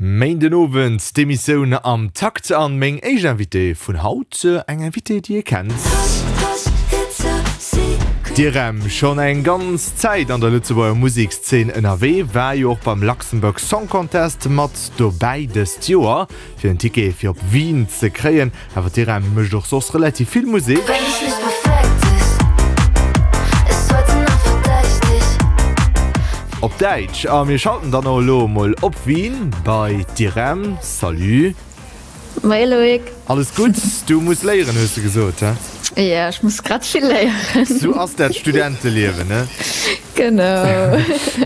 Méindenowend d'Emissioun Am Takt an meng éischt Invitée vun haut, eng Invitée déi ee kennt. D'Irem, schonn eng ganz Zäit an der Lëtzebuerger Musekszeen ënnerwee, war jo och beim Luxembourg Song Contest mat dobäi dëst Joer, fir en Ticket fir op Wien ze kréien. Awer d'Irem mécht och soss relativ vill Musek. Op Däitsch. A mir schalten dann och elo emol op Wien bei d'Irem. Salut. Moie Loïc. Alles gutt? Du muss léieren, hues de gesot, he? Jo, ech muss grad vill léieren. Sou ass dat Studenteliewen, ne? Genau.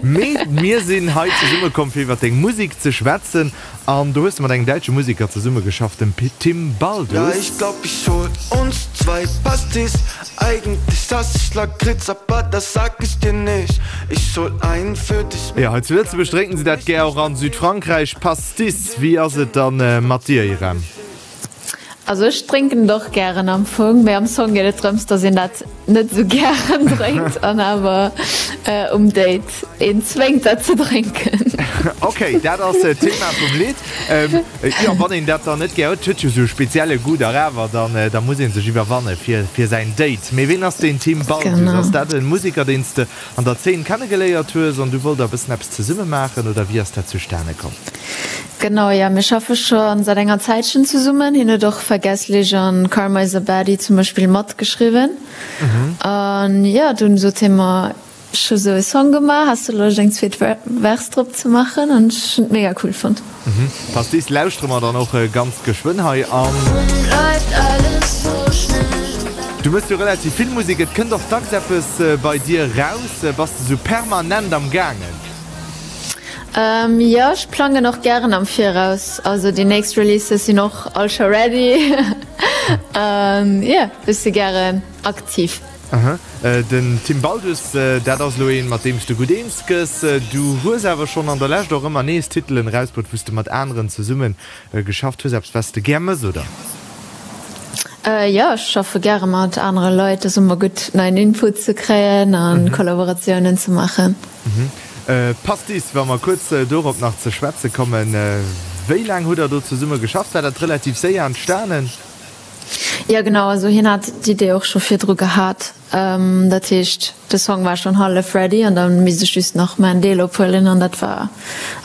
Mee mir sinn hei zesummekomm, fir iwwer deng Musek ze schwätzen. An do hues de mat engem däitsche Museker zesummegeschafft, dem Tim Baldus. Ja ich glaub ich hol uns zwei Pastis Eigentlich hass ich Lakritz aber das sag ich dir nicht Ich hol einen für dich Jo, hei zu Lëtzebuerg drénken se dat gär, och an Südfrankräich. Pastis, wéi ass et dann mat dir, Irène? Also ech drénken et och gären am Fong, mee am Song geet et drëms, dass een dat net esou gären drénkt an awer um Date een zwéngt dat ze drénken. Ok, dat ass d'Thema vum Lidd. Jo, wann een dat dann net gär huet, huet jo esou e spezielle Goût dach awer, dann da muss ee sech iwwerwanne fir fir säin Date. Mee ween ass deen Tim Baldus? Ass dat e Museker, deen s de an der Zeen kennegeléiert hues an du wollt der e bëssen eppes zesumme maachen oder wéi ass dat zustane komm? Genau, jo, mir schaffe scho säit enger Zäitchen zesummen. Hien huet och Vergesslich an Karma is a Baddie zum Beispill matgeschriwwen. An jo, dunn sot hie mer, ech hu sou e Song gemaach, has de Loscht eng zweet Vers drop ze maachen? An ech hunn et mega cool fonnt. Pastis lauschtere mer dann och ganz geschwënn hei an. Du mëss jo relativ vill Musek, et kënnt och dacks eppes bei dir raus. Bass de sou permanent am gaangen? Jo, ech plangen och gären am Viraus. Also déi nächst Releases sinn och all scho ready. Jo, ech si gären aktiv. Den Tim Baldus, dat ass elo een, mat deem s de gutt eens gëss. Du hues awer schonn an der Lescht och ëmmer nees Titelen erausbruet, wou s de mat aneren zesumme geschafft hues. Eppes, wat s de gär mëss, oder? Jo, ech schaffe gäre mat anere Leit. Et ass ëmmer gutt, neien Input ze kréien a Kollaboratiounen ze maachen. Pastis, wa mer kuerz dorop nach ze schwätze kommen, wéi laang hutt der do zesumme geschafft? War dat relativ séier entstanen? Jo genau, also hien hat d'Idee och scho virdru gehat. Dat heescht de Song war schonn hallef ready an da misst ech just nach mäin Deel ophuelen an dat war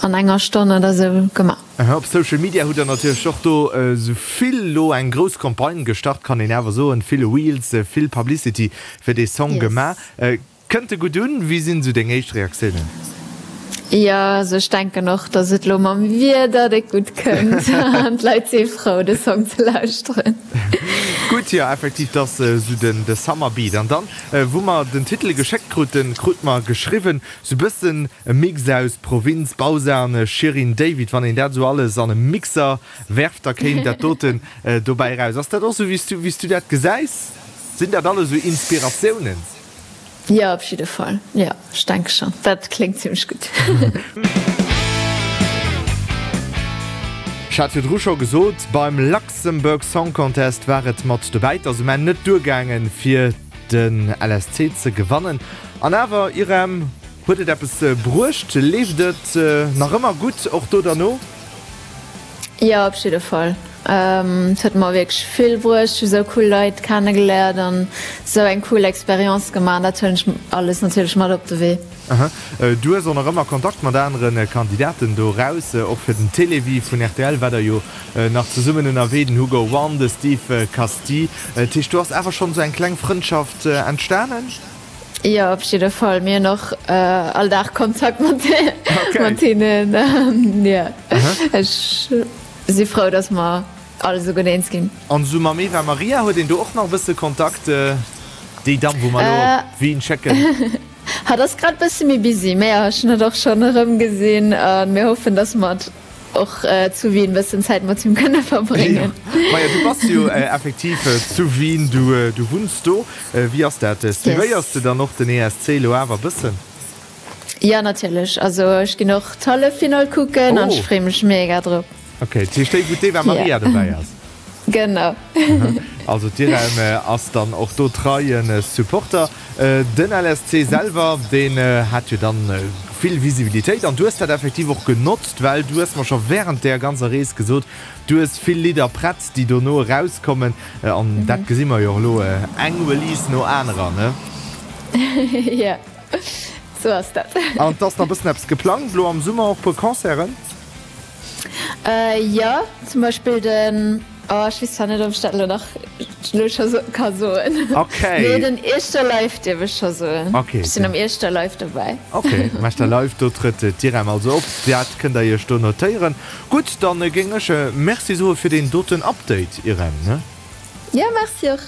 an enger Stonn oder sou gemaach. Op Social Media hutt der natierlech och do sou vill elo eng grouss Campagne gestart, kann een awer soen, vill Reels, vill Publicity fir dee Song gemaach. Kënnt e gutt un? Wéi sinn esou deng éischt Reaktiounen? Jo, also ech denken och, dass et lo mam Wieder déck gutt kënnt an d'Leit si frou de Song ze lauschteren. Gutt, jo effektiv, 't ass esou den de Summer Beat. An dann, wou mer den Titel geschéckt kruten, krut mer geschriwwen, sou bëssen e Mix aus Provinz, Bausa an Shirin David. Wann een dat esou alles an e Mixer werft, da kéim dat doten dobäi eraus. Ass dat och esou wéi s du, wéi s du dat gesäis? Sinn dat alles esou Inspiratiounen? Jo, op jidde Fall. Jo, ech denke schon. Dat kléngt zimlech gutt. Ech hat virdru scho gesot, beim Luxembourg Song Contest war et mat dobäi. Et ass um Enn net duergaangen, fir den LSC ze gewannen. An awer, Irem, huet et eppes bruecht? Leeft et nach ëmmer gutt, och do derno? Jo, op jidde Fall. Et huet mer wierklech vill bruecht. Ech hu sou cool Leit kennegeléiert an sou eng cool Experience gemaach. An dat huelen ech alles natierlech mat op de Wee. Aha. Du hues och nach ëmmer Kontakt mat anere Kandidaten do raus. Och fir den Télévie vun rtl war der jo nach zesummen ënnerwee, den Hugo One, de Steve Casti. Dat heescht, do ass awer schonn sou eng kleng Frëndschaft entstanen? Jo, op jidde Fall. Mir hunn och all Dag Kontakt mat hinnen. Jo, ech si frou, datt mer all esou gutt eens ginn. An esou mam Eva Maria, huet een do och nach e bësse Kontakt? Déi Damm, wou mer elo op Wien schécken? Hatt ass grad bësse méi busy, mä jo, ech hunn hatt och schonn erëmgesinn a mir hoffen, datt mer och zu Wien bëssen Zäit mat him kënne verbréngen. Maja, du bass jo effektiv zu Wien, du du wunns do. Wéi ass dat? Suivéiers de dann och den ESC elo awer bëssen? Jo, natierlech. Also ech ginn och d'Halleffinall kucken an ech freeë mech mega drop. Ok, dat heescht déi wou d'Eva Maria dobäi ass? Genau. Also d'Irène ass dann och do treie Supporter. Den LSC selwer, deen hat jo dann. vill Visibilitéit an du hues dat effektiv och genotzt, well du hues mer scho wärend där ganzer Rees gesot, du hues vill Lidder prett, déi dono erauskommen an dat gesi mer jo och elo, eng Release no anerer, ne? Jo, sou ass dat. An 't ass nach e bëssen eppes geplangt elo am Summer, och puer Concerten? Jo, zum Beispill den, oh ech weess zwar net ob ech dat elo nach elo scho ka soen, Okay. mee den Ieschter Live dierf ech scho soen. Okay. Ech sinn am Ieschter Live dobäi. Okay, am Ieschter Live, do trëtt d'Irem also op. Dat kënnt der iech do notéieren. Gutt, dann géing ech Merci soe fir deen doten Update, Irem, ne? Jo, merci och.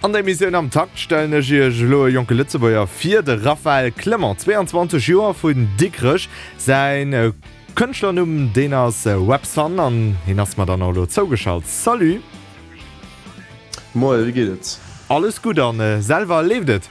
An der Emissioun Am Takt stellen ech iech elo e jonke Lëtzebuerger vir, de Raphaël Clement, 22 Joer, vun Dikrech. Säin Kënschtlernumm, deen ass Websun an hien ass mer dann och elo zougeschalt. Salut! Moie, wéi geet et? Alles gutt an selwer, leeft et?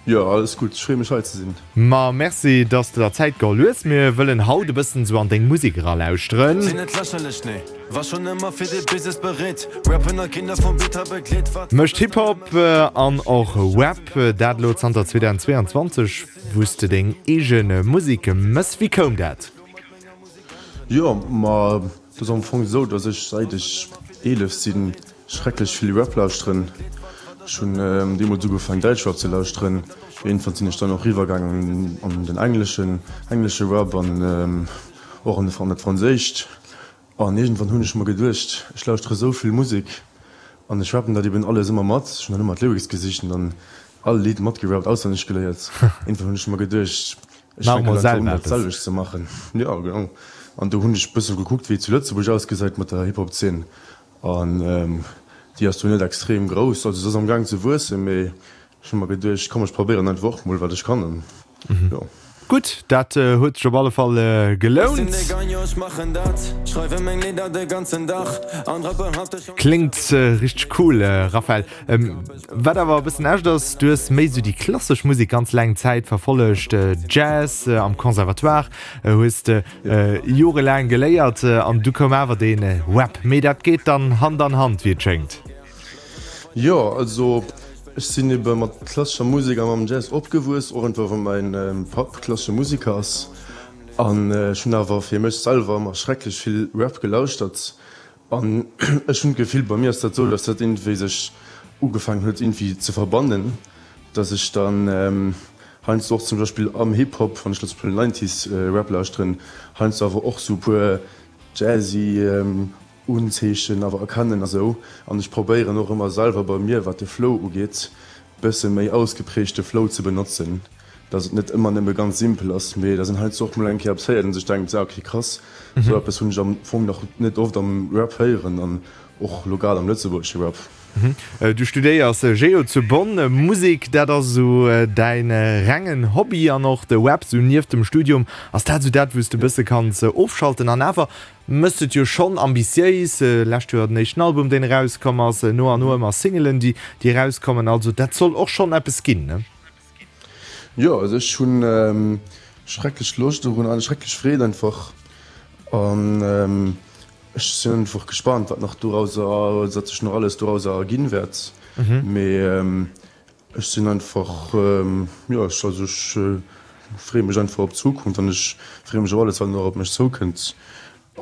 Jo, alles gutt. Ech freeë mech hei ze sinn. Ma merci, dass de der Zäit geholl hues. Mir wëllen haut e bëssen esou an deng Musek eralauschteren. Sinn net lächerlech, nee, war schon ëmmer fir de Business bereet Rappen a Kinder vum Beat begleet, wat. Mécht Hip-Hop an och Rap, dat elo zanter 2022, wou s de deng eege Musek mëss. Wéi koum dat? Jo, ma et ass am Fong esou, dass ech säit ech 11 sinn Schrecklech vill Rap lauschteren. Ech hunn deemools ugefaangen Däitschrap ze lauschteren. Iergendwann sinn ech dann och riwwer gaangen an den engleschen, englesche Rap an och an dat franséischt. An iergendwann hunn ech mer geduecht, ech lauschtere sou vill Musek an ech rappen dat eben alles ëmmer mat. Ech hunn dann ëmmer d'Lyrics gesicht an dann all Lidd matgerappt, auswenneg geléiert. Iergendwann hunn ech mer geduecht, ech Maach fänken mol einfach un selwer dat eppes. selwecht ze maachen. Jo, genau. An do hunn ech bësse gekuckt, wéi et zu Lëtzebuerg ausgesäit mat der Hip-Hop-Zeen. An déi ass do net extrem grouss, also se ass am Gaang ze wuessen, mee ech hu mer geduecht, komm ech probéieren einfach och mol wat ech kann an jo. Gutt, dat huet sech op alle Fall gelount. Kléngt richteg cool, Raphael. Wat awer e bëssen echt ass, du hues méi sou déi klassesch Musek ganz laang Zäit verfollegt, Jazz am Conservatoire hues de Jorelaang geléiert an du koum awer dee Rap. Mee dat geet dann Hand an Hand, wéi et schéngt. Jo, also ech sinn ebe mat klassescher Musek a mam Jazz opgewuess, och einfach well mäin Papp klassesche Museker ass. An ech hunn awer fir mech selwer ëmmer schrecklech vill Rap gelauschtert. An ech hunn d'Gefill, bei mir ass dat esou, dass dat iergendwéi sech ugefaangen huet iergendwéi ze verbannen, dass ech dann heiansdo och zum Beispill am Hip-Hop, wann ech elo zum Beispill Nineties Rap lauschteren, heiansdo awer och sou e puer jazzy Unzeechen awer erkennen a sou. An ech probéieren och ëmmer selwer bei mir, wat de Flow ugeet, bësse méi ausgeprägte Flow ze benotzen, dass et net ëmmer nëmme ganz simpel ass, mee dass een heiansdo och mol eng Kéier eppes héiert an sech denkt, ah ok krass, sou eppes hunn ech am Fong nach net oft am Rap héieren an och lo grad am lëtzebuergesche Rap. Du studéiers Geo zu Bonn. Musek, dat ass esou däin rengen Hobby an och de Rap esou nieft dem Studium. Ass dat esou dat, wou s de e bësse kanns ofschalten? An awer Mëss et jo schonn ambitiéis, lescht Joer den éischten Album deen erauskomm ass, no an no ëmmer Singelen déi déi erauskommen, also dat soll och schonn eppes ginn, ne? Jo, also ech hunn schrecklech Loscht dorun an schrecklech Freed einfach an ech sinn einfach gespaant wat nach dorauser, wat sech nach alles dorauser erginn wäert, mee Ech sinn einfach, jo, ech, also ech freeë mech einfach op d'Zukunft an ech freeë mech op alles, wat nach op mech zoukënnt.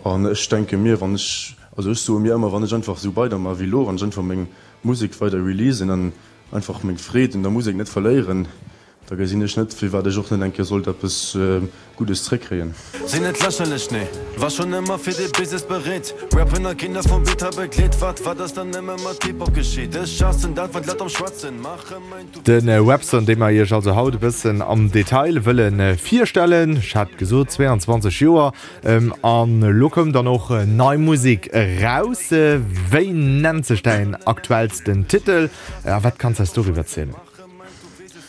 An ech denke mir, wann ech, also ech soe mir ëmmer, wann ech einfach esou weidermaach wéi elo, wann ech einfach meng Musek weider releasen an einfach meng Freed un der Musek net verléieren, da gesinn ech net, firwat ech och net eng Kéier sollt eppes Guddes zréckkréien. Sinn net lächerlech, nee, war schonn ëmmer fir de Business bereet Rappen a Kinder vum Beat begleet Wat wat ass dann nëmme mat Hip-Hop geschitt? Ech haassen dat, wann d'Leit am Schwätzen maache mäin Du. De Webson, dee mer iech also haut e bëssen am Detail wëlle virstellen, ech hat gesot 22 Joer, an elo koum dann och nei Musek eraus. Wéi nennt sech däin aktuellsten Titel a wat kanns eis doriwwer zielen?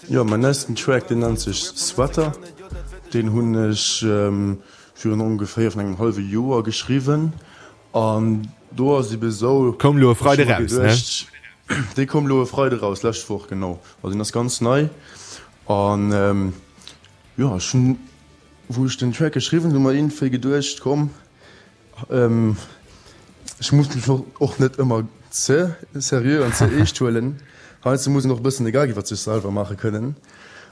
Jo, mäin neisten Track, deen nennt sech Sweater. Deen hunn ech virun ongeféier vun engem hallwe Joer geschriwwen an do ass ebe sou, Koum lo e Freide raus, ne? Dee koum lo e Freide raus, lescht Woch, genau. Also deen ass ganz nei an jo, ech hunn, wou ech den Track geschriwwen hunn, mer iergendwéi geduecht, komm, Ech muss mech och net ëmmer ze seriö an ze eescht huelen. Heiansdo muss een och e bëssen de Gag iwwer sech selwer maache kënnen.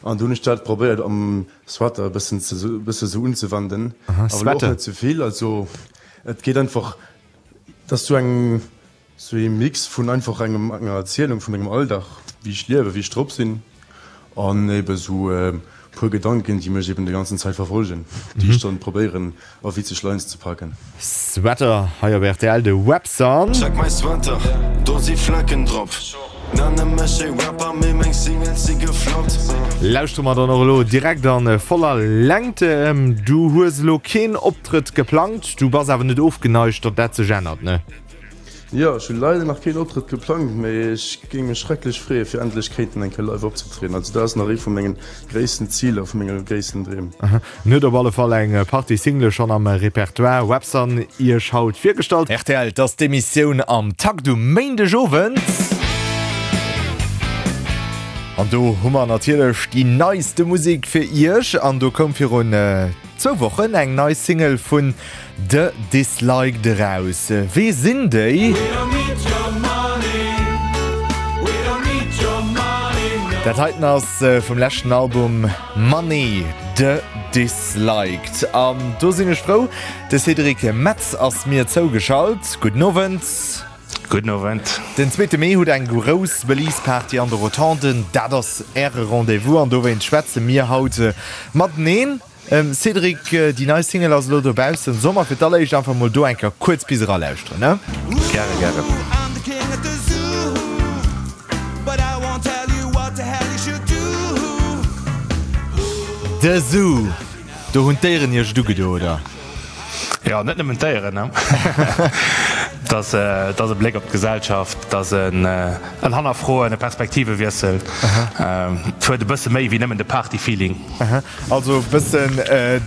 An do hunn ech dat probéiert am Sweater e bëssen ze bësse sou unzewenden, awer elo och net ze vill. Also et geet einfach, et ass sou eng sou ee Mix vun einfach engem enger Erzielung vu mengem Alldag, wéi ech liewen, wéi ech drop sinn an ebe sou e puer Gedanken, déi mech eben déi ganzen Zäit verfolgen, déi ech dann probéieren a witzeg Lines ze paken. Sweater hei op rtl, de Webson. Check mäi Sweater, do si Flecken drop. Nenne mech ee Rapper, mee meng Singles si gefloppt. Lauschtere mer dann och elo direkt a voller Längt. Du hues elo keen Optrëtt geplangt, du bass awer net ofgeneigt, datt dat sech ännert, ne? Jo, ech hu leider nach keen Optrëtt geplangt, mee ech géing mech schrecklech freeë fir endlech kéinten eng Kéier live opzetrieden. Also dat ass nach ee vu mengen gréissten Ziler, vu menge gréissten Dreem. En huet op alle Fall eng Partie Single schonn am Repertoire. Webson Iech haut virgestallt. Rtl, 't ass d'Emissioun am Takt um Méindegowend. An do hu mer natierlech déi neiste Musek fir Iech. An do koum virun zwou Wochen eng nei Single vun The Disliked eraus. Wee sinn déi? Dat heiten ass vum leschten Album Money, The Disliked. An do sinn ech frou, de Cédric Metz ass mir zougeschalt. Gudden Owend. Gudden Owend. Den zweete Mee hutt eng grouss Release-Party an de Rotonden. Dat ass Äre Rendez-vous an dowéinst schwätze mir haut mateneen. Cédric, déi nei Single ass elo dobaussen. Solle mer fir d'alleréischt einfach mol do eng Kéier kuerz bis eralauschteren, ne? Gäre, gäre. The Zoo, do hunn d'Déieren iech et ugedo, oder? Jo, net nëmmen d'Déieren, ne? Et ass, et ass e Bléck op d'Gesellschaft, et ass en Hannerfroen, e Perspektivewiessel. Et huet e bësse méi wéi nëmmen de Party-Feeling. Also e bëssen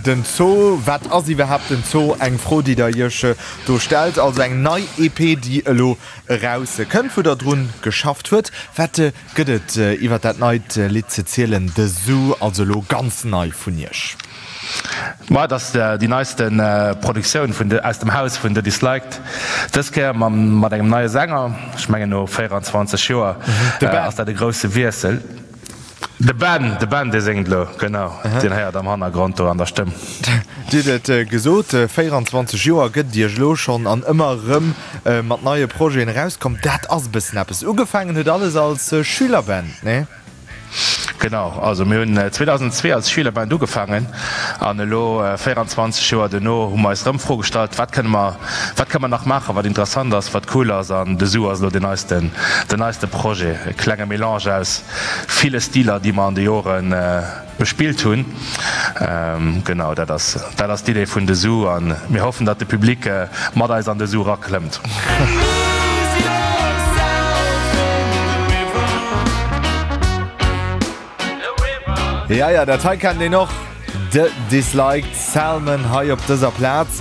den Zoo. Wat ass iwwerhaapt den Zoo? Eng Fro, déi der Iech do stellt. Also eng nei EP, déi elo eraus kënnt, wou der drun geschafft huet. Wat gëtt et iwwer dat neit Lidd ze zielen, The Zoo, also elo ganz nei vun Iech? Ma et ass déi neiste Produktioun vun aus dem Haus vun The Disliked. Dës Kéier mam mat engem neie Sänger. Ech mengen no 24 Joer ass dat e grousse Wiessel. De Ben, de Ben dee séngt elo, genau, deen héiert am Hannergrond do an der Stëmm. Dir hutt et gesot, 24 Joer gëtt et Iech elo schonn an ëmmer erëm mat neie Projeten erauskomm. Dat ass e bëssen eppes. Ugefaangen huet alles als Schülerband, nee? Genau, also mir hunn 2002 als Schülerband ugefaangen an elo 24 Joer duerno hu mer eis erëm d'Fro gestallt, wat kënne mer, wat kënne mer nach maachen, wat interessant ass, wat cool ass an de Zoo ass elo den neisten, den neiste Projet, e klenge Melange aus ville Stiler, déi mer an de Jore bespillt hunn. Genau, dat ass, dat ass d'Idee vun de Zoo a mir hoffen, datt de Public mat eis an de Zoo eraklëmmt. Ja, ja, dat hei kennt een och. The Disliked Salmon hei op dëser Plaz.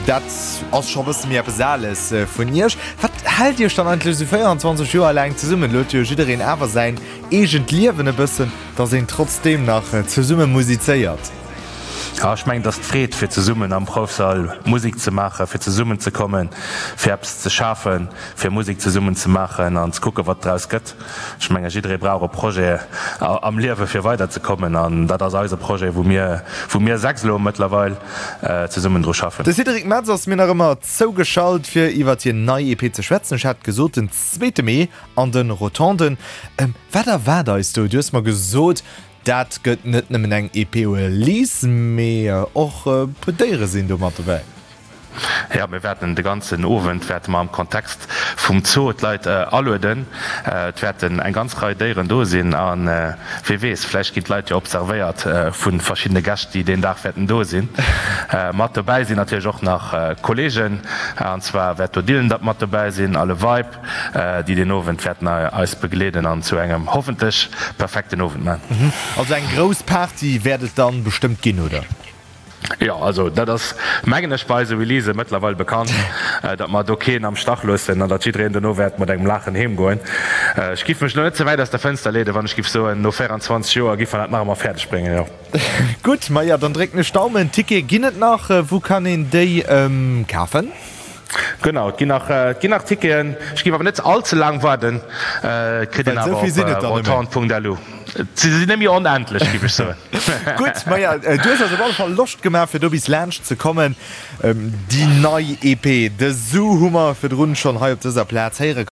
Dat ass scho bësse méi eppes Ales vun Iech. Wat hält Iech dann eigentlech esou 24 Joer laang zesummen? Elo huet jo jiddereen awer säin eegent Liewen e bëssen, dass een trotzdeem nach zesumme musizéiert. Jo, ech mengen, et ass d'Freed, fir zesummen am Proufsall Musek ze maachen, fir zesummen ze kommen, fir eppes ze schafen, fir Musek zesummen ze maachen an ze kucken, wat draus gëtt. Ech mengen, jidderee brauch e Projet am Liewe fir weiderzekommen an dat ass eise Projet, wou mir, wou mir 6 elo mëttlerweil zesummen dru schaffen. De Cédric Metz ass mir nach ëmmer zougeschalt, fir iwwert hir nei EP ze schwätzen. Ech hat gesot, den zweete Mee an de Rotonden. Wat erwaart eis do? Du hues mer gesot, Dat gëtt net nëmmen eng EP-Release, mee och e puer Déiere sinn do mat dobäi. Jo, mir wäerten de ganzen Owend wäerte mer am Kontext vum Zoo d'Leit alueden. Et wäerten eng ganz Rei Déieren do sinn a wee weess, vläicht ginn d'Leit jo observéiert vu verschiddene Gäscht, déi deen Dag wäerten do sinn. Mat dobäi sinn natierlech och nach Kolleegen, an zwar wäert do Dylan mat dobäi sinn a Le Vibe. déi deen Owend wäerten eis begleeden an zu engem hoffentlech perfekten Owend man. Also eng grouss Party wäert et dann bestëmmt ginn, oder? Jo, also dat ass mengen ech bei eise Releasë mëttlerweil bekannt, datt mer do keen am Stach loossen an datt jiddereen dono wäert mat engem Laachen heem goen. Ech giff mech elo net ze wäit aus der Fënster leeden, wann ech giff soen, no 24 Joer giff mer dat nach ëmmer fäerdeg bréngen, jo. Gutt, maja dann drécken ech Daumen. Tickete ginn et nach, wou kann een déi kafen? Genau, et ginn nach, et ginn nach Ticketen. Ech géif awer net all ze laang waarden. Et kritt een Well awer esou vill sinn et op der nëmmen. rotound.lu. Se sinn net méi onendlech, géif ech soen. Gutt, maja, du hues eis op alle Fall Loscht gemaach, fir do bis laanscht ze kommen. Déi nei EP, The Zoo, hu mer virdrun schonn hei op dëser Plaz héiere.